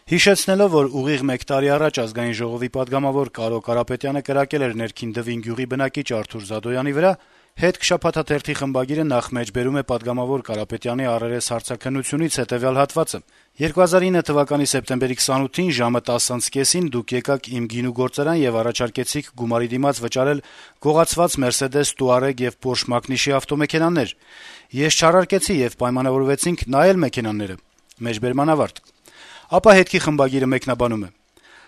Հիշեցնելով, որ ուղիղ 1 տարի առաջ Ազգային ժողովի պատգամավոր Կարո Կարապետյանը կրակել էր ներքին Դվին գյուղի բնակիչ Արթուր Զադոյանի վրա, «Հետ» շաբաթաթերթի խմբագիրը նախ մեջբերում է պատգամավոր Կարապետյանի առերես հարցաքննությունից հետեւյալ հատվածը. 2009 թվականի սեպտեմբերի 28-ին ժամը 10:30-ին դուք եկաք իմ գինու գործարան եւ առաջարկեցիք գումարի դիմաց վճարել գողացված Mercedes Touareg եւ Porsche մակնիշի ավտոմեքենաներ։ Ես չառարկեցի եւ պայմանավորվեցինք նայել մեքենաները։ Մեջբերման ավարտ։ Ապա «Հետքի» խմբագիրը մեկնաբանում է.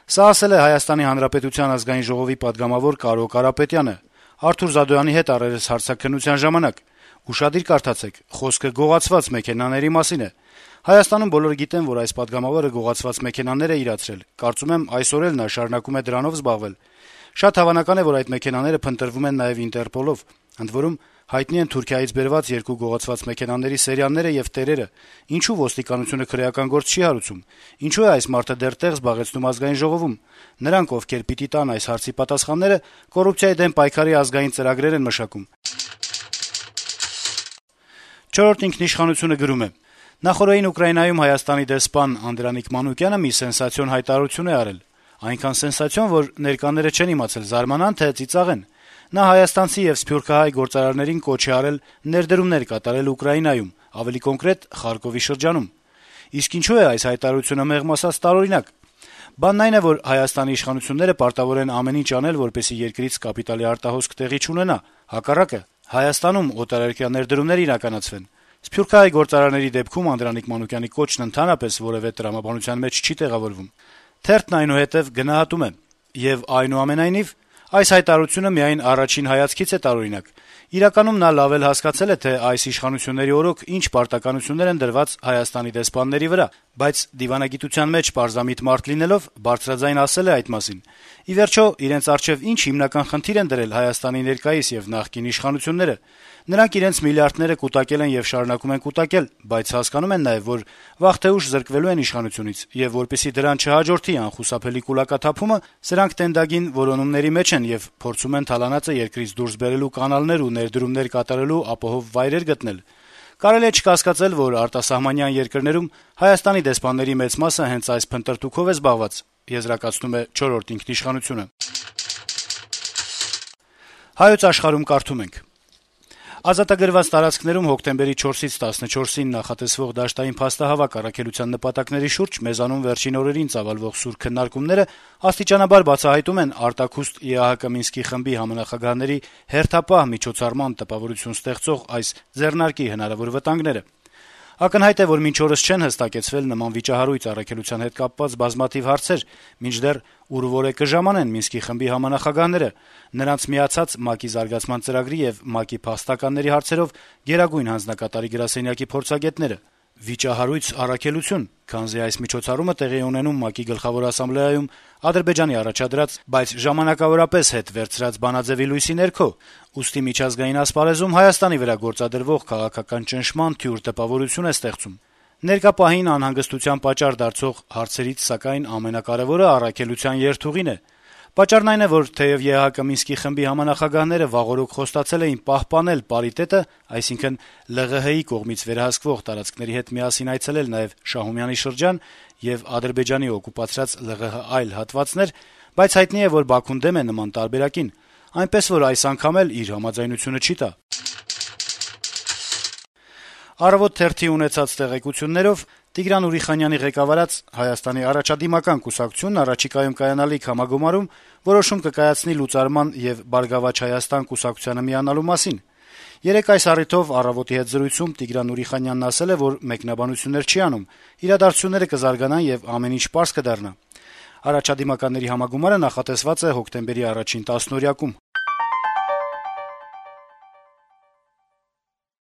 «Սա ասել է Հայաստանի Հանրապետության Ազգային ժողովի պատգամավոր Կարո Կարապետյանը Արթուր Զադոյանի հետ առերես հարցաքննության ժամանակ։ Ուշադիր կարդացեք, խոսքը գողացված մեքենաների մասին է։ Հայաստանում բոլորը գիտեն, որ այս պատգամավորը գողացված մեքենաներ է իրացրել։ Կարծում եմ այսօր էլ նա շարունակում է դրանով զբաղվել։ Շատ հավանական է, որ այդ մեքենաները փնտրվում են նաեւ Ինտերպոլով։ Ընդ որում հայտնի են Թուրքիայից բերված 2 գողացված մեքենաների սերիաները եւ տերերը։ Ինչու ոստիկանությունը քրեական գործ չի հարուցում։ Ինչու է այս մարդը դեռ տեղ զբաղեցնում Ազգային ժողովում։ Նրանք, ովքեր պիտի տան այս հարցի պատասխանները, կոռուպցիայի դեմ պայքարի ազգային ծրագրեր են մշակում»։ «Չորրորդ ինքնիշխանություն»-ը գրում է. «Նախօրեին Ուկրաինայում Հայաստանի դեսպան Անդրանիկ Մանուկյանը մի սենսացիոն հայտարարություն է արել։ Այնքան սենսացիոն, որ ներկաները չեն իմացել զարմանան, թե ծիծաղեն։ Նա հայաստանցի եւ սփյուռքահայ գործարարներին կոչ է արել ներդրումներ կատարել Ուկրաինայում, ավելի կոնկրետ Խարկովի շրջանում։ Իսկ ինչու է այս հայտարարությունը մեղմ ասած տարօրինակ։ Բանն այն է, որ Հայաստանի իշխանությունները պարտավոր են ամեն ինչ անել, որպեսզի երկրից կապիտալի արտահոսք տեղի չունենա։ Հակառակը, Հայաստանում օտարերկրյա ներդրումներ իրականացվեն։ Սփյուռքահայ գործարարների դեպքում Անդրանիկ Մանուկյանի կոչն ընդհանրապես որեւէ տրամաբանության մեջ չի տեղավորվում»։ Թերթն այնուհետեւ գնահատում է. «Եվ այնուամենայնիվ, այս հայտարարությունը միայն առաջին հայացքից է տարօրինակ։ Իրականում նա լավ էլ հասկացել է, թե այս իշխանությունների օրոք ինչ պարտականություններ են դրված Հայաստանի դեսպանների վրա, բայց դիվանագիտության մեջ պարզամիտ մարդ լինելով բարձրաձայն ասել է այդ մասին։ Ի վերջո, իրենց առջեւ ինչ հիմնական խնդիր են դրել Հայաստանի ներկայիս եւ նախկին իշխանությունները։ Նրանք իրենց միլիարդները կուտակել են եւ շարունակում են կուտակել, բայց հասկանում են նաեւ, որ վաղ թե ուշ զրկվելու են իշխանությունից, եւ որպեսզի դրան չհաջորդի անխուսափելի կուլակաթափումը, սրանք տենդագին որոնումների մեջ են եւ փորձում են թալանածը երկրից դուրս բերելու կանալներ ու ներդրումներ կատարելու ապահով վայրեր գտնել։ Կարելի է չկասկածել, որ արտասահմանյան երկրներում Հայաստանի դեսպանների մեծ մասը հենց այս փնտրտուքով է զբաղված», եզրակացնում է «Չորրորդ ինքնիշխանություն»-ը։ «Հայոց աշխարհ»-ում կարդում ենք. Ազատագրված տարածքներում հոկտեմբերի 4-ից 14-ին նախատեսվող դաշտային փաստահավաք առաքելության նպատակների շուրջ մեզանում վերջին օրերին ծավալվող սուր քննարկումները աստիճանաբար բացահայտում են արտաքուստ ԵԱՀԿ Մինսկի խմբի համանախագահների հերթապահ միջոցառման տպավորություն ստեղծող այս ձեռնարկի հնարավոր վտանգները։ Ակնհայտ է, որ մինչ օրս չեն հստակեցվել նման վիճահարույց առաքելության հետ կապված բազմաթիվ հարցեր, մինչդեռ ուր որ է կժամանեն Մինսկի խմբի համանախագահները, նրանց միացած ՄԱԿ-ի զարգացման ծրագրի եւ ՄԱԿ-ի փաստականների հարցերով գերագույն հանձնակատարի գրասենյակի փորձագետները։ Վիճահարույց առաքելություն, քանզի այս միջոցառումը տեղի է ունենում ՄԱԿ-ի գլխավոր ասամբլեայում Ադրբեջանի առաջադրած, բայց ժամանակավորապես հետ վերցրած բանաձեւի լույսի ներքո, ուստի միջազգային ասպարեզում Հայաստանի վրա գործադրվող քաղաքական ճնշման թյուր տպավորություն է ստեղծում։ Ներկա պահին անհանգստության պատճառ դարձող հարցերից, սակայն, ամենակարևորը առաքելության երթուղին է։ Պատճառն այն է, որ թեև ԵԱՀԿ Մինսկի խմբի համանախագահները վաղօրոք խոստացել էին պահպանել պարիտետը, այսինքն ԼՂՀ-ի կողմից վերահսկվող տարածքների հետ միասին այցելել նաեւ Շահումյանի շրջան եւ Ադրբեջանի օկուպացրած ԼՂՀ այլ հատվածներ, բայց հայտնի է, որ Բաքուն դեմ է նման տարբերակին, այնպես որ այս անգամ էլ իր համաձայնությունը չի տա։ «Առավոտ» թերթի ունեցած տեղեկություններով Տիգրան Ուրիխանյանի ղեկավարած Հայաստանի առաջադիմական կուսակցությունն առաջիկայում կայանալիք համագումարում որոշում կկայացնի լուծարման եւ «Բարգավաճ Հայաստան» կուսակցությանը միանալու մասին։ Երեկ այս առիթով «Առավոտ»-ի հետ զրույցում Տիգրան Ուրիխանյանն ասել է, որ մեկնաբանություններ չի անում, իրադարձությունները կզարգանան եւ ամեն ինչ պարզ կդառնա։ Առաջադիմականների համագումարը նախատեսված է հոկտեմբերի 1-ին 10-օրյակում։